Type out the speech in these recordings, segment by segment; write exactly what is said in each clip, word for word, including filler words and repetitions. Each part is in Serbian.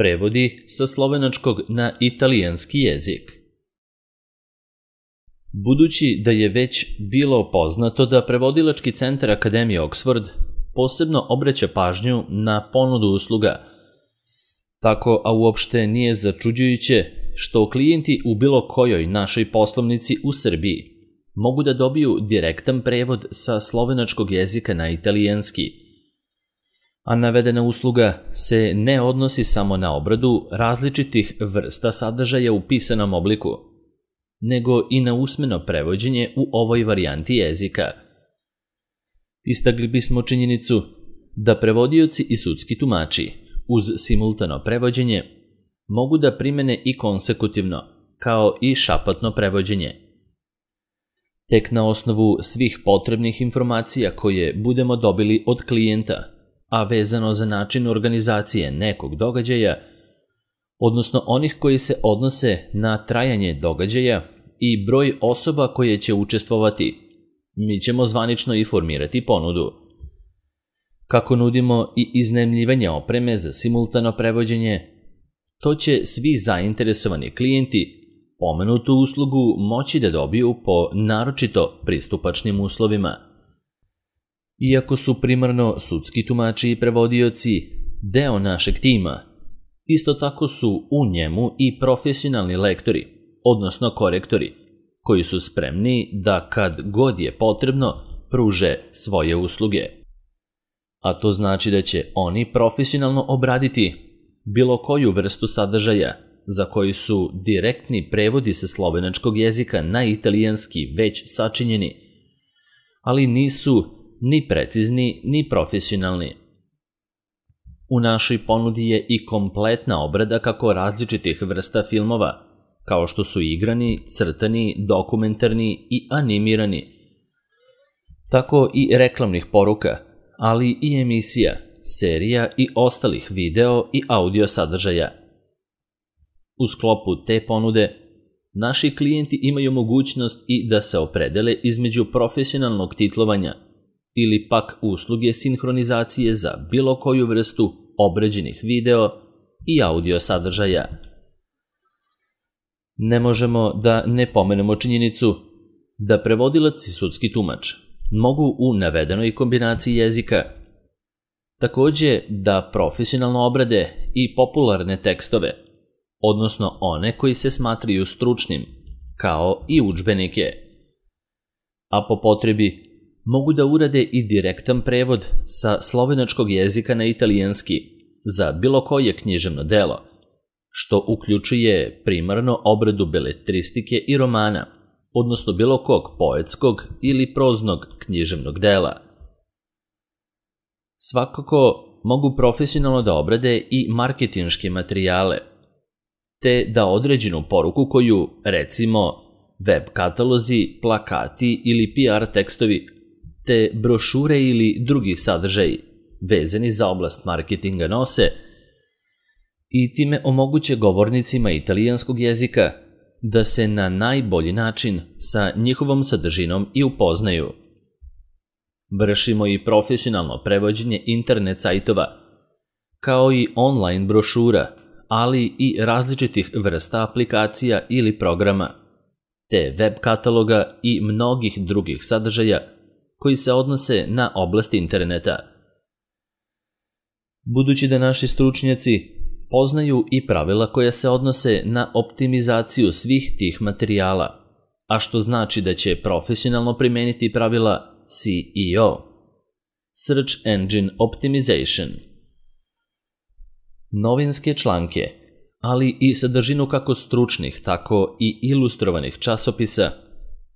Prevodi sa slovenačkog na italijanski jezik. Budući da je već bilo poznato da Prevodilački centar Akademije Oxford posebno obraća pažnju na ponudu usluga, tako a uopšte nije začuđujuće što klijenti u bilo kojoj našoj poslovnici u Srbiji mogu da dobiju direktan prevod sa slovenačkog jezika na italijanski, a navedena usluga se ne odnosi samo na obradu različitih vrsta sadržaja u pisanom obliku, nego i na usmeno prevođenje u ovoj varijanti jezika. Istakli bismo činjenicu da prevodioci i sudski tumači uz simultano prevođenje mogu da primene i konsekutivno, kao i šapatno prevođenje. Tek na osnovu svih potrebnih informacija koje budemo dobili od klijenta, a vezano za način organizacije nekog događaja, odnosno onih koji se odnose na trajanje događaja i broj osoba koje će učestvovati, mi ćemo zvanično i formirati ponudu. Kako nudimo i iznajmljivanje opreme za simultano prevođenje, to će svi zainteresovani klijenti pomenutu uslugu moći da dobiju po naročito pristupačnim uslovima. Iako su primarno sudski tumači i prevodioci deo našeg tima, isto tako su u njemu i profesionalni lektori, odnosno korektori, koji su spremni da kad god je potrebno pruže svoje usluge. A to znači da će oni profesionalno obraditi bilo koju vrstu sadržaja za koji su direktni prevodi sa slovenačkog jezika na italijanski već sačinjeni, ali nisu ni precizni ni profesionalni. U našoj ponudi je i kompletna obrada kako različitih vrsta filmova, kao što su igrani, crtani, dokumentarni i animirani, tako i reklamnih poruka, ali i emisija, serija i ostalih video i audio sadržaja. U sklopu te ponude, naši klijenti imaju mogućnost i da se opredele između profesionalnog titlovanja ili pak usluge sinhronizacije za bilo koju vrstu obrađenih video i audio sadržaja. Ne možemo da ne pomenemo činjenicu da prevodilac i sudski tumač mogu u navedenoj kombinaciji jezika takođe da profesionalno obrade i popularne tekstove, odnosno one koji se smatraju stručnim, kao i udžbenike. A po potrebi mogu da urade i direktan prevod sa slovenačkog jezika na italijanski za bilo koje književno delo, što uključuje primarno obradu beletristike i romana, odnosno bilo kog poetskog ili proznog književnog dela. Svakako mogu profesionalno da obrade i marketinške materijale, te da određenu poruku koju, recimo, web katalozi, plakati ili P R tekstovi, te brošure ili drugi sadržaji vezani za oblast marketinga nose i time omoguće govornicima italijanskog jezika da se na najbolji način sa njihovom sadržinom i upoznaju. Vršimo i profesionalno prevođenje internet sajtova, kao i online brošura, ali i različitih vrsta aplikacija ili programa, te web kataloga i mnogih drugih sadržaja koji se odnose na oblast interneta. Budući da naši stručnjaci poznaju i pravila koja se odnose na optimizaciju svih tih materijala, a što znači da će profesionalno primeniti pravila S E O, Search Engine Optimization. Novinske članke, ali i sadržinu kako stručnih, tako i ilustrovanih časopisa,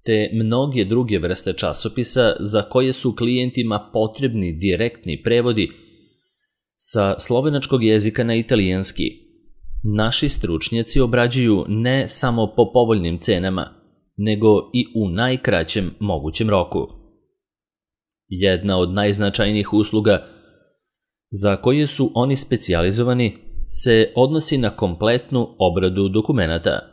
te mnoge druge vrste časopisa za koje su klijentima potrebni direktni prevodi sa slovenačkog jezika na italijanski, naši stručnjaci obrađuju ne samo po povoljnim cenama, nego i u najkraćem mogućem roku. Jedna od najznačajnijih usluga za koje su oni specijalizovani se odnosi na kompletnu obradu dokumenata,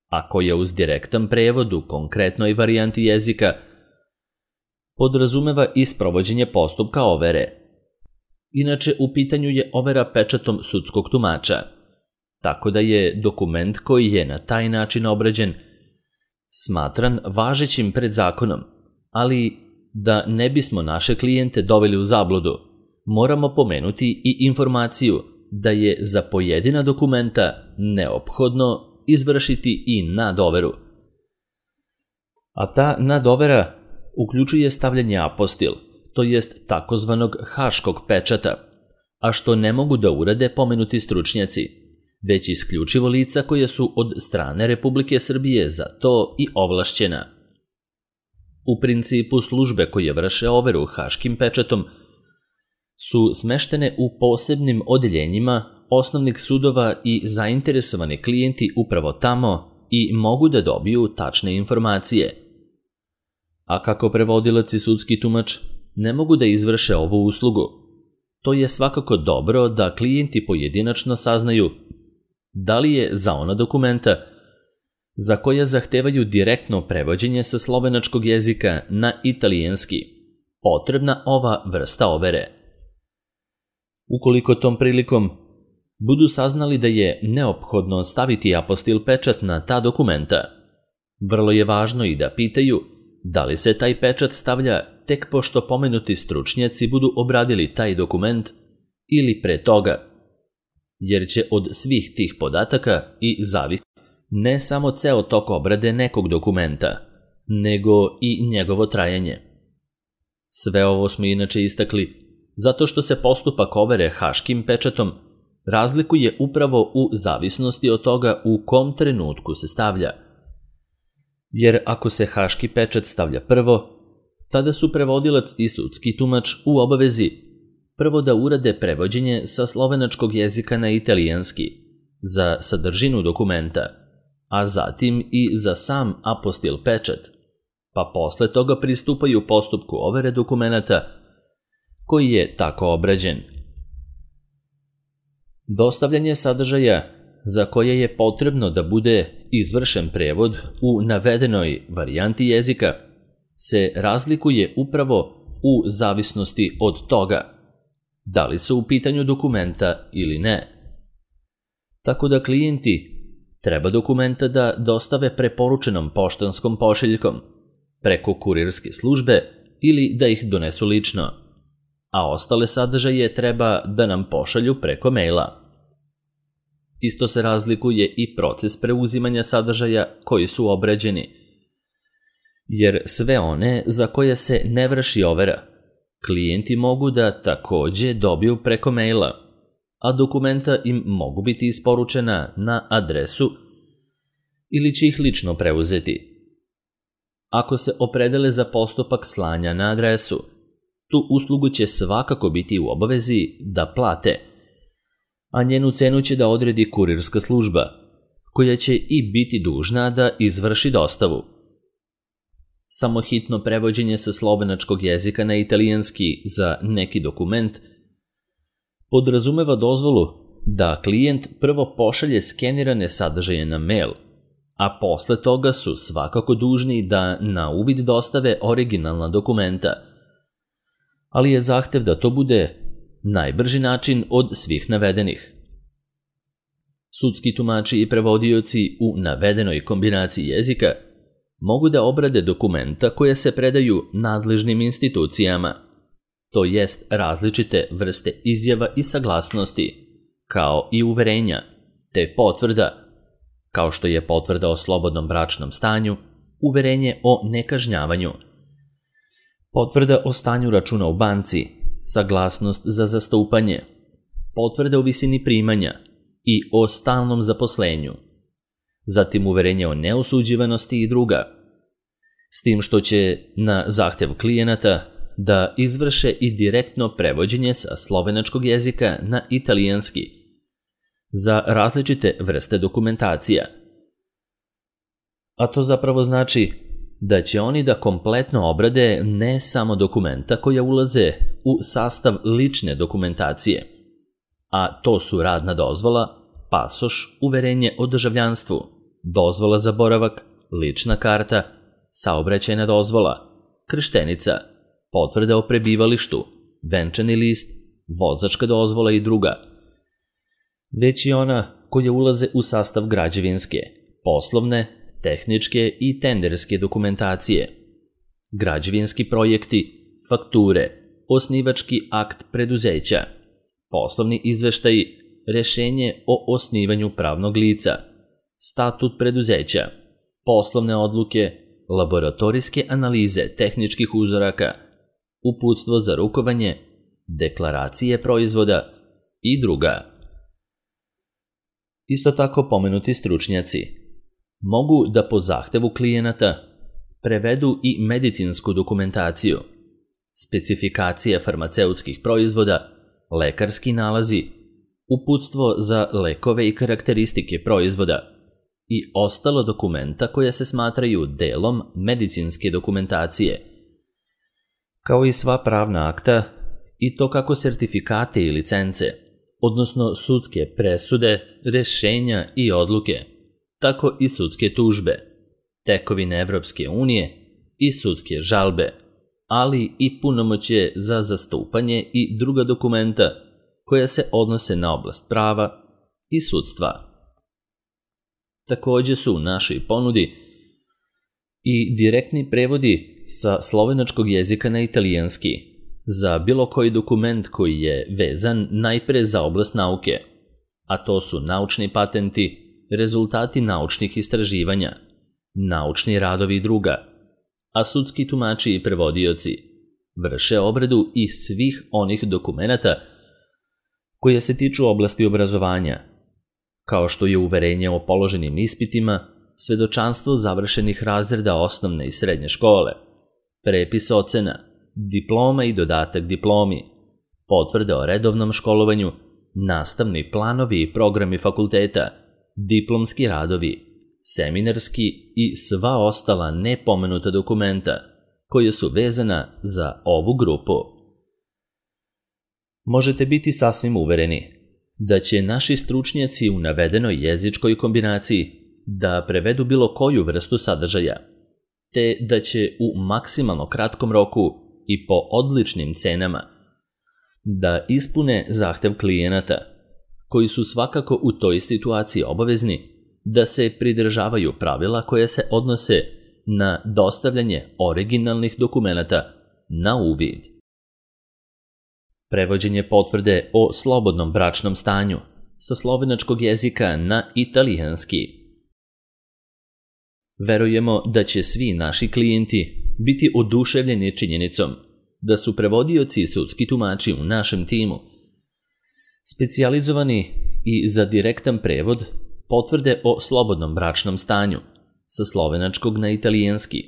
a koja uz direktan prevod u konkretnoj varijanti jezika podrazumeva i sprovođenje postupka overe. Inače, u pitanju je overa pečatom sudskog tumača, tako da je dokument koji je na taj način obrađen smatran važećim pred zakonom, ali da ne bismo naše klijente doveli u zabludu, moramo pomenuti i informaciju da je za pojedina dokumenta neophodno izvršiti i nadoveru. A ta nadovera uključuje stavljanje apostil, to jest takozvanog haškog pečata, a što ne mogu da urade pomenuti stručnjaci, već isključivo lica koje su od strane Republike Srbije za to i ovlašćena. U principu službe koje vrše overu haškim pečatom su smeštene u posebnim odeljenjima osnovnih sudova i zainteresovani klijenti upravo tamo i mogu da dobiju tačne informacije. A kako prevodilac i sudski tumač ne mogu da izvrše ovu uslugu, to je svakako dobro da klijenti pojedinačno saznaju da li je za ona dokumenta za koja zahtevaju direktno prevođenje sa slovenačkog jezika na italijanski potrebna ova vrsta overe. Ukoliko tom prilikom budu saznali da je neophodno staviti apostil pečat na ta dokumenta, vrlo je važno i da pitaju da li se taj pečat stavlja tek pošto pomenuti stručnjaci budu obradili taj dokument ili pre toga, jer će od svih tih podataka i zavisiti ne samo ceo tok obrade nekog dokumenta, nego i njegovo trajanje. Sve ovo smo inače istakli zato što se postupak overe haškim pečatom razlikuje upravo u zavisnosti od toga u kom trenutku se stavlja. Jer ako se haški pečat stavlja prvo, tada su prevodilac i sudski tumač u obavezi prvo da urade prevođenje sa slovenačkog jezika na italijanski za sadržinu dokumenta, a zatim i za sam apostil pečat, pa posle toga pristupaju postupku overe dokumenata koji je tako obrađen. Dostavljanje sadržaja za koje je potrebno da bude izvršen prevod u navedenoj varijanti jezika se razlikuje upravo u zavisnosti od toga da li su u pitanju dokumenta ili ne. Tako da klijenti treba dokumenta da dostave preporučenom poštanskom pošiljkom, preko kurirske službe ili da ih donesu lično, a ostale sadržaje treba da nam pošalju preko maila. Isto se razlikuje i proces preuzimanja sadržaja koji su obrađeni, jer sve one za koje se ne vrši overa, klijenti mogu da takođe dobiju preko maila, a dokumenta im mogu biti isporučena na adresu ili će ih lično preuzeti. Ako se opredele za postupak slanja na adresu, tu uslugu će svakako biti u obavezi da plate, a njenu cenu će da odredi kurirska služba, koja će i biti dužna da izvrši dostavu. Samo hitno prevođenje sa slovenačkog jezika na italijanski za neki dokument podrazumeva dozvolu da klijent prvo pošalje skenirane sadržaje na mail, a posle toga su svakako dužni da na uvid dostave originalna dokumenta, ali je zahtev da to bude najbrži način od svih navedenih. Sudski tumači i prevodioci u navedenoj kombinaciji jezika mogu da obrade dokumenta koje se predaju nadležnim institucijama, to jest različite vrste izjava i saglasnosti, kao i uverenja, te potvrda, kao što je potvrda o slobodnom bračnom stanju, uverenje o nekažnjavanju, potvrda o stanju računa u banci, saglasnost za zastupanje, potvrda o visini primanja i o stalnom zaposlenju, zatim uverenje o neosuđivanosti i druga, s tim što će na zahtev klijenata da izvrše i direktno prevođenje sa slovenačkog jezika na italijanski za različite vrste dokumentacija. A to zapravo znači da će oni da kompletno obrade ne samo dokumenta koja ulaze u sastav lične dokumentacije, a to su radna dozvola, pasoš, uverenje o državljanstvu, dozvola za boravak, lična karta, saobraćajna dozvola, krštenica, potvrda o prebivalištu, venčani list, vozačka dozvola i druga, već i ona koje ulaze u sastav građevinske, poslovne, tehničke i tenderske dokumentacije, građevinski projekti, fakture, osnivački akt preduzeća, poslovni izveštaji, rešenje o osnivanju pravnog lica, statut preduzeća, poslovne odluke, laboratorijske analize tehničkih uzoraka, uputstvo za rukovanje, deklaracije proizvoda i druga. Isto tako pomenuti stručnjaci mogu da po zahtevu klijenata prevedu i medicinsku dokumentaciju, specifikacije farmaceutskih proizvoda, lekarski nalazi, uputstvo za lekove i karakteristike proizvoda i ostalo dokumenta koja se smatraju delom medicinske dokumentacije, kao i sva pravna akta i to kako sertifikate i licence, odnosno sudske presude, rešenja i odluke, tako i sudske tužbe, tekovine Evropske unije i sudske žalbe, ali i punomoćje za zastupanje i druga dokumenta koja se odnose na oblast prava i sudstva. Takođe su u našoj ponudi i direktni prevodi sa slovenačkog jezika na italijanski za bilo koji dokument koji je vezan najpre za oblast nauke, a to su naučni patenti, rezultati naučnih istraživanja, naučni radovi i druga, a sudski tumači i prevodioci vrše obradu i svih onih dokumenata koje se tiču oblasti obrazovanja, kao što je uverenje o položenim ispitima, svedočanstvo završenih razreda osnovne i srednje škole, prepis ocena, diploma i dodatak diplomi, potvrde o redovnom školovanju, nastavni planovi i programi fakulteta, diplomski radovi, seminarski i sva ostala nepomenuta dokumenta koje su vezana za ovu grupu. Možete biti sasvim uvereni da će naši stručnjaci u navedenoj jezičkoj kombinaciji da prevedu bilo koju vrstu sadržaja, te da će u maksimalno kratkom roku i po odličnim cenama da ispune zahtev klijenata, koji su svakako u toj situaciji obavezni da se pridržavaju pravila koje se odnose na dostavljanje originalnih dokumenata na uvid. Prevođenje potvrde o slobodnom bračnom stanju sa slovenačkog jezika na italijanski. Verujemo da će svi naši klijenti biti oduševljeni činjenicom da su prevodioci i sudski tumači u našem timu specijalizovani i za direktan prevod potvrde o slobodnom bračnom stanju sa slovenačkog na italijanski,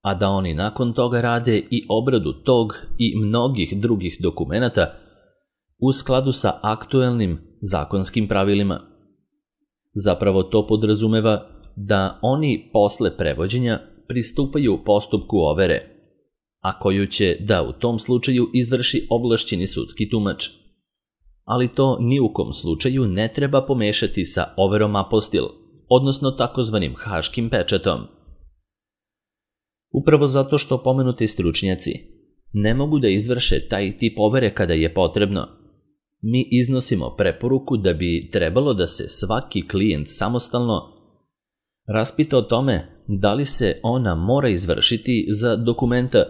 a da oni nakon toga rade i obradu tog i mnogih drugih dokumenata u skladu sa aktuelnim zakonskim pravilima. Zapravo to podrazumeva da oni posle prevođenja pristupaju postupku overe, a koju će da u tom slučaju izvrši ovlašćeni sudski tumač. Ali to ni u kom slučaju ne treba pomešati sa overom apostil, odnosno takozvanim haškim pečatom. Upravo zato što pomenuti stručnjaci ne mogu da izvrše taj tip overe kada je potrebno, mi iznosimo preporuku da bi trebalo da se svaki klijent samostalno raspita o tome da li se ona mora izvršiti za dokumenta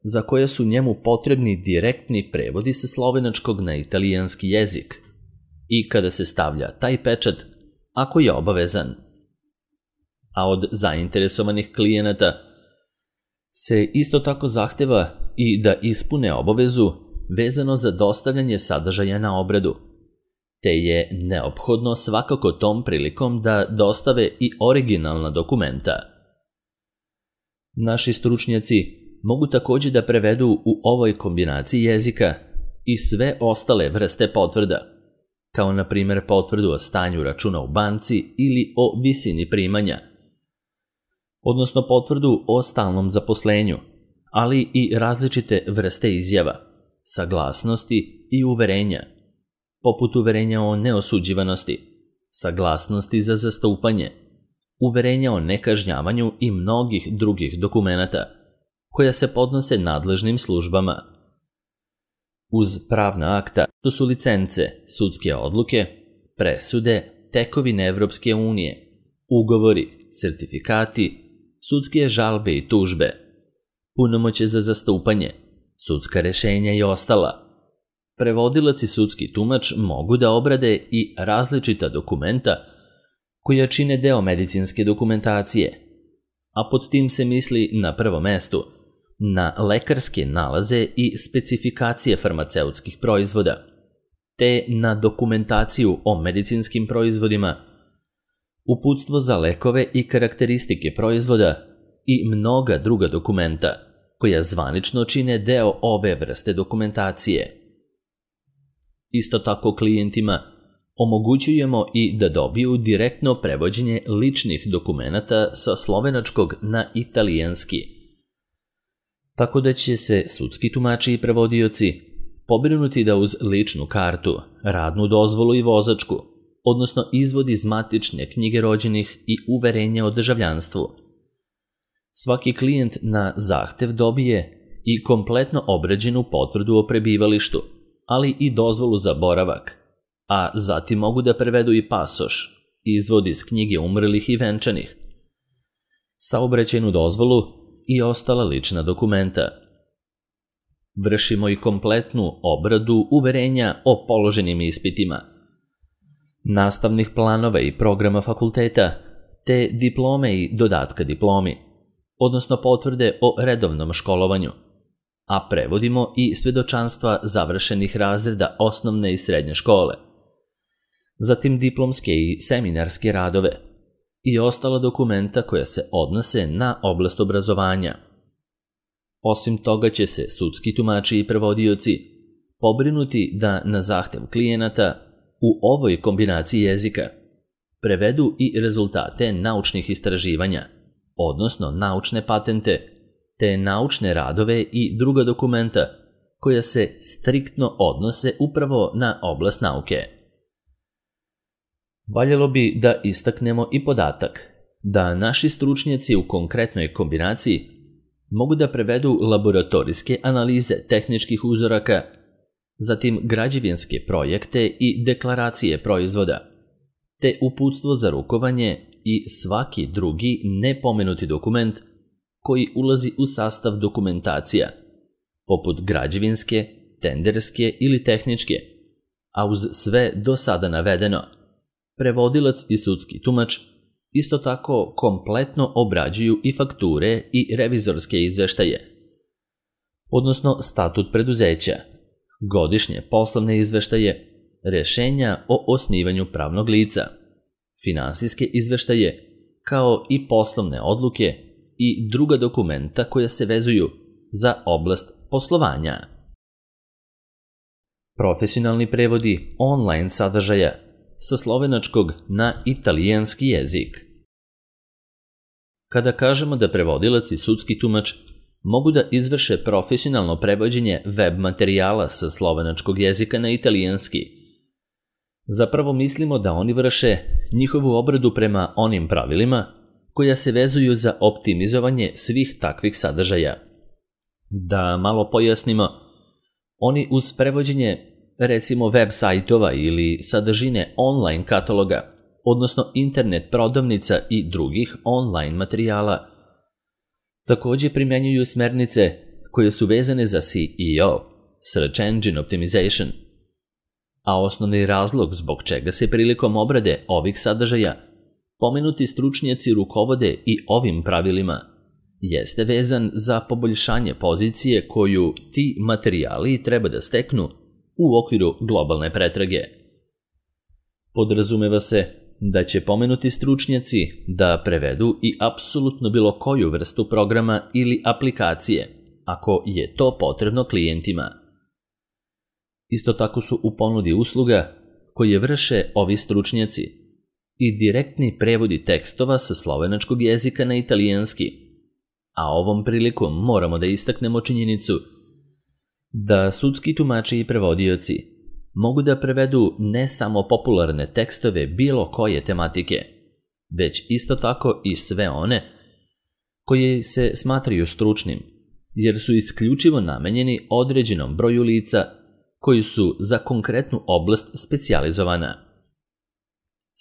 za koje su njemu potrebni direktni prevodi sa slovenačkog na italijanski jezik i kada se stavlja taj pečat ako je obavezan. A od zainteresovanih klijenata se isto tako zahteva i da ispune obavezu vezano za dostavljanje sadržaja na obradu, te je neophodno svakako tom prilikom da dostave i originalna dokumenta. Naši stručnjaci mogu takođe da prevedu u ovoj kombinaciji jezika i sve ostale vrste potvrda, kao na primjer potvrdu o stanju računa u banci ili o visini primanja, odnosno potvrdu o stalnom zaposlenju, ali i različite vrste izjava, saglasnosti i uverenja, poput uverenja o neosuđivanosti, saglasnosti za zastupanje, uverenja o nekažnjavanju i mnogih drugih dokumenata, koja se podnose nadležnim službama. Uz pravna akta to su licence, sudske odluke, presude, tekovine Evropske unije, ugovori, sertifikati, sudske žalbe i tužbe, punomoćje za zastupanje, sudska rešenja i ostala. Prevodilac i sudski tumač mogu da obrade i različita dokumenta koja čine deo medicinske dokumentacije, a pod tim se misli na prvom mestu na lekarske nalaze i specifikacije farmaceutskih proizvoda, te na dokumentaciju o medicinskim proizvodima, uputstvo za lekove i karakteristike proizvoda i mnoga druga dokumenta koja zvanično čine deo obe vrste dokumentacije. Isto tako klijentima omogućujemo i da dobiju direktno prevođenje ličnih dokumenata sa slovenačkog na italijanski, tako da će se sudski tumači i prevodioci pobrinuti da uz ličnu kartu, radnu dozvolu i vozačku, odnosno izvod iz matične knjige rođenih i uverenja o državljanstvu, svaki klijent na zahtev dobije i kompletno obrađenu potvrdu o prebivalištu, ali i dozvolu za boravak, a zatim mogu da prevedu i pasoš, izvod iz knjige umrlih i venčanih, saobraćajnu dozvolu i ostala lična dokumenta. Vršimo i kompletnu obradu uverenja o položenim ispitima, nastavnih planova i programa fakulteta, te diplome i dodatka diplomi, odnosno potvrde o redovnom školovanju, a prevodimo i svedočanstva završenih razreda osnovne i srednje škole, zatim diplomske i seminarske radove i ostala dokumenta koja se odnose na oblast obrazovanja. Osim toga će se sudski tumači i prevodioci pobrinuti da na zahtev klijenata u ovoj kombinaciji jezika prevedu i rezultate naučnih istraživanja, odnosno naučne patente, te naučne radove i druga dokumenta koja se striktno odnose upravo na oblast nauke. Valjalo bi da istaknemo i podatak da naši stručnjaci u konkretnoj kombinaciji mogu da prevedu laboratorijske analize tehničkih uzoraka, zatim građevinske projekte i deklaracije proizvoda, te uputstvo za rukovanje i svaki drugi nepomenuti dokument koji ulazi u sastav dokumentacija, poput građevinske, tenderske ili tehničke, a uz sve do sada navedeno, prevodilac i sudski tumač isto tako kompletno obrađuju i fakture i revizorske izveštaje, odnosno statut preduzeća, godišnje poslovne izveštaje, rešenja o osnivanju pravnog lica, finansijske izveštaje, kao i poslovne odluke i druga dokumenta koja se vezuju za oblast poslovanja. Profesionalni prevodi online sadržaja sa slovenačkog na italijanski jezik. Kada kažemo da prevodilac i sudski tumač mogu da izvrše profesionalno prevođenje web materijala sa slovenačkog jezika na italijanski, zapravo mislimo da oni vrše njihovu obradu prema onim pravilima koja se vezuju za optimizovanje svih takvih sadržaja. Da malo pojasnimo, oni uz prevođenje recimo web sajtova ili sadržine online kataloga, odnosno internet prodavnica i drugih online materijala, takođe primenjuju smernice koje su vezane za S E O, Search Engine Optimization, a osnovni razlog zbog čega se prilikom obrade ovih sadržaja pomenuti stručnjaci rukovode i ovim pravilima jeste vezan za poboljšanje pozicije koju ti materijali treba da steknu u okviru globalne pretrage. Podrazumeva se da će pomenuti stručnjaci da prevedu i apsolutno bilo koju vrstu programa ili aplikacije, ako je to potrebno klijentima. Isto tako su u ponudi usluga koje vrše ovi stručnjaci i direktni prevodi tekstova sa slovenačkog jezika na italijanski, a ovom prilikom moramo da istaknemo činjenicu da sudski tumači i prevodioci mogu da prevedu ne samo popularne tekstove bilo koje tematike, već isto tako i sve one koje se smatraju stručnim, jer su isključivo namenjeni određenom broju lica koji su za konkretnu oblast specijalizovana.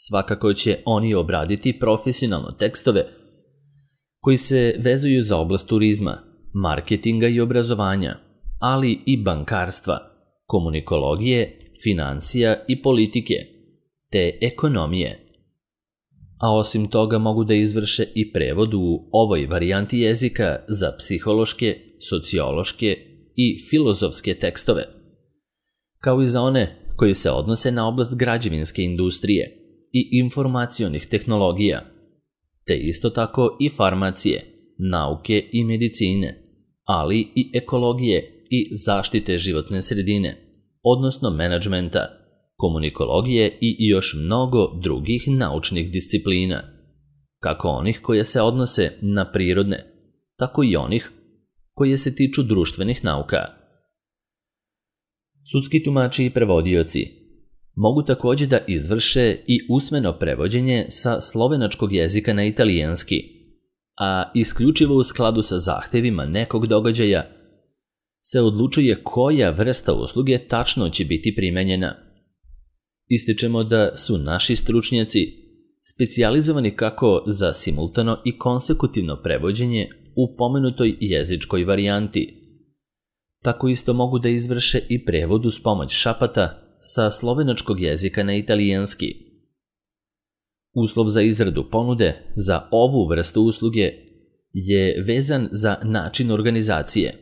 Svakako će oni obraditi profesionalno tekstove koji se vezuju za oblast turizma, marketinga i obrazovanja, ali i bankarstva, komunikologije, financija i politike, te ekonomije. A osim toga mogu da izvrše i prevod u ovoj varijanti jezika za psihološke, sociološke i filozofske tekstove, kao i za one koji se odnose na oblast građevinske industrije i informacionih tehnologija, te isto tako i farmacije, nauke i medicine, ali i ekologije i zaštite životne sredine, odnosno menadžmenta, komunikologije i još mnogo drugih naučnih disciplina, kako onih koje se odnose na prirodne, tako i onih koje se tiču društvenih nauka. Sudski tumači i prevodioci mogu takođe da izvrše i usmeno prevođenje sa slovenačkog jezika na italijanski, a isključivo u skladu sa zahtevima nekog događaja se odlučuje koja vrsta usluge tačno će biti primenjena. Ističemo da su naši stručnjaci specijalizovani kako za simultano i konsekutivno prevođenje u pomenutoj jezičkoj varijanti, tako isto mogu da izvrše i prevod uz pomoć šapata sa slovenačkog jezika na italijanski. Uslov za izradu ponude za ovu vrstu usluge je vezan za način organizacije,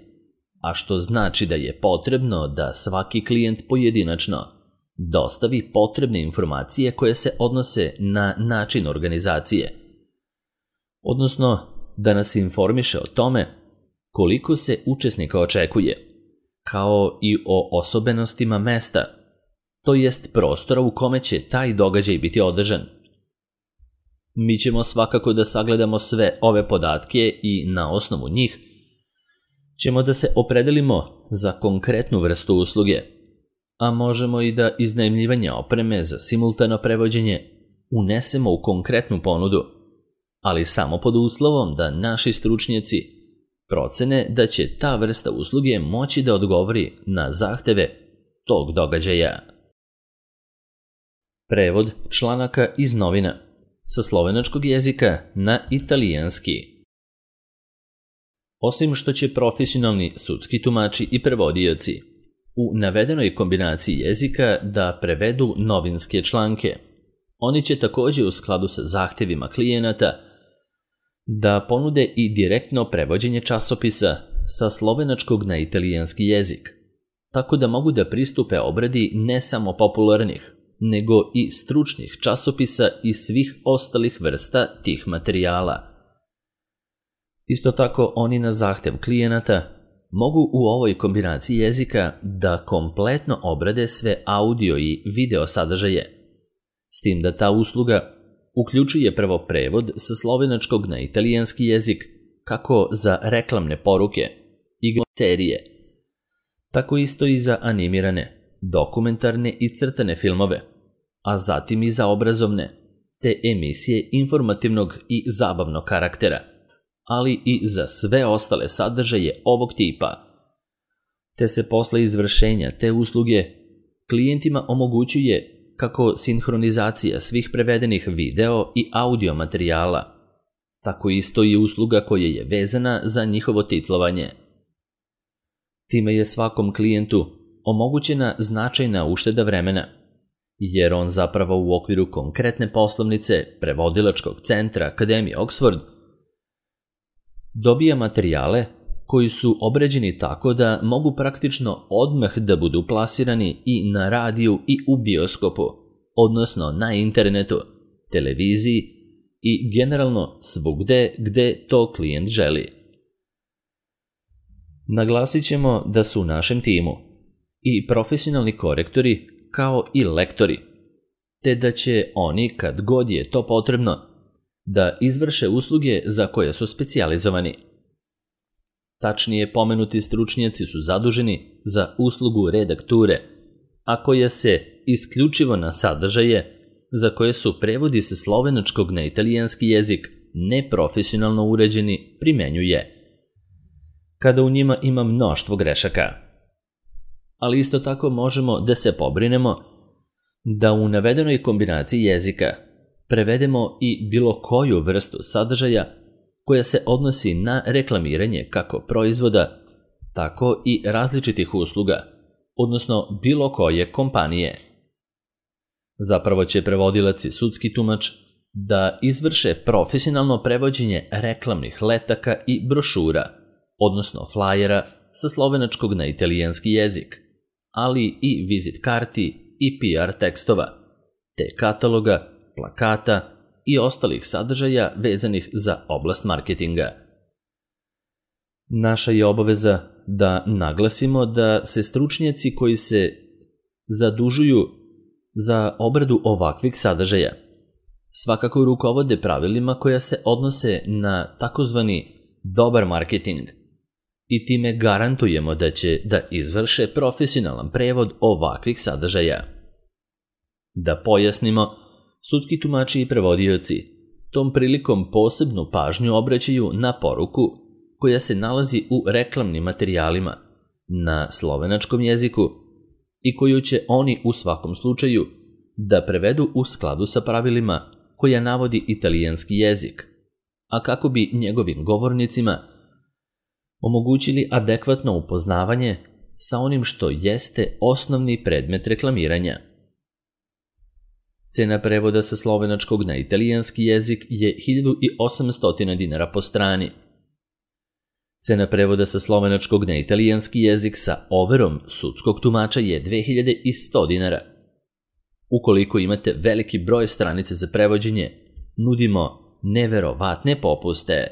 a što znači da je potrebno da svaki klijent pojedinačno dostavi potrebne informacije koje se odnose na način organizacije, odnosno da nas informiše o tome koliko se učesnika očekuje, kao i o osobenostima mesta, to jest prostora u kome će taj događaj biti održan. Mi ćemo svakako da sagledamo sve ove podatke i na osnovu njih ćemo da se opredelimo za konkretnu vrstu usluge, a možemo i da iznajmljivanje opreme za simultano prevođenje unesemo u konkretnu ponudu, ali samo pod uslovom da naši stručnjaci procene da će ta vrsta usluge moći da odgovori na zahteve tog događaja. Prevod članaka iz novina sa slovenačkog jezika na italijanski. Osim što će profesionalni sudski tumači i prevodioci u navedenoj kombinaciji jezika da prevedu novinske članke, oni će takođe u skladu sa zahtevima klijenata da ponude i direktno prevođenje časopisa sa slovenačkog na italijanski jezik, tako da mogu da pristupe obradi ne samo popularnih, nego i stručnih časopisa i svih ostalih vrsta tih materijala. Isto tako, oni na zahtev klijenata mogu u ovoj kombinaciji jezika da kompletno obrade sve audio i video sadržaje, s tim da ta usluga uključuje prvo prevod sa slovenačkog na italijanski jezik kako za reklamne poruke, igre, serije, tako isto i za animirane, dokumentarne i crtane filmove, a zatim i za obrazovne, te emisije informativnog i zabavnog karaktera, ali i za sve ostale sadržaje ovog tipa, te se posle izvršenja te usluge klijentima omogućuje kako sinhronizacija svih prevedenih video i audio materijala, tako isto i usluga koja je vezana za njihovo titlovanje. Time je svakom klijentu omogućena značajna ušteda vremena, jer on zapravo u okviru konkretne poslovnice prevodilačkog centra Akademije Oxford dobija materijale koji su obrađeni tako da mogu praktično odmah da budu plasirani i na radiju i u bioskopu, odnosno na internetu, televiziji i generalno svugde gde to klijent želi. Naglasit ćemo da su u našem timu i profesionalni korektori kao i lektori, te da će oni, kad god je to potrebno, da izvrše usluge za koje su specijalizovani. Tačnije, pomenuti stručnjaci su zaduženi za uslugu redakture, a koja se isključivo na sadržaje za koje su prevodi sa slovenačkog na italijanski jezik neprofesionalno uređeni primenjuje, kada u njima ima mnoštvo grešaka. Ali isto tako možemo da se pobrinemo da u navedenoj kombinaciji jezika prevedemo i bilo koju vrstu sadržaja koja se odnosi na reklamiranje kako proizvoda, tako i različitih usluga, odnosno bilo koje kompanije. Zapravo će prevodilac i sudski tumač da izvrše profesionalno prevođenje reklamnih letaka i brošura, odnosno flajera sa slovenačkog na italijanski jezik, ali i vizit karti i P R tekstova, te kataloga, plakata i ostalih sadržaja vezanih za oblast marketinga. Naša je obaveza da naglasimo da se stručnjaci koji se zadužuju za obradu ovakvih sadržaja svakako rukovode pravilima koja se odnose na takozvani dobar marketing i time garantujemo da će da izvrše profesionalan prevod ovakvih sadržaja. Da pojasnimo, sudski tumači i prevodioci tom prilikom posebnu pažnju obraćaju na poruku koja se nalazi u reklamnim materijalima na slovenačkom jeziku i koju će oni u svakom slučaju da prevedu u skladu sa pravilima koja navodi italijanski jezik, a kako bi njegovim govornicima omogućili adekvatno upoznavanje sa onim što jeste osnovni predmet reklamiranja. Cena prevoda sa slovenačkog na italijanski jezik je hiljadu osamsto dinara po strani. Cena prevoda sa slovenačkog na italijanski jezik sa overom sudskog tumača je dve hiljade sto dinara. Ukoliko imate veliki broj stranica za prevođenje, nudimo neverovatne popuste.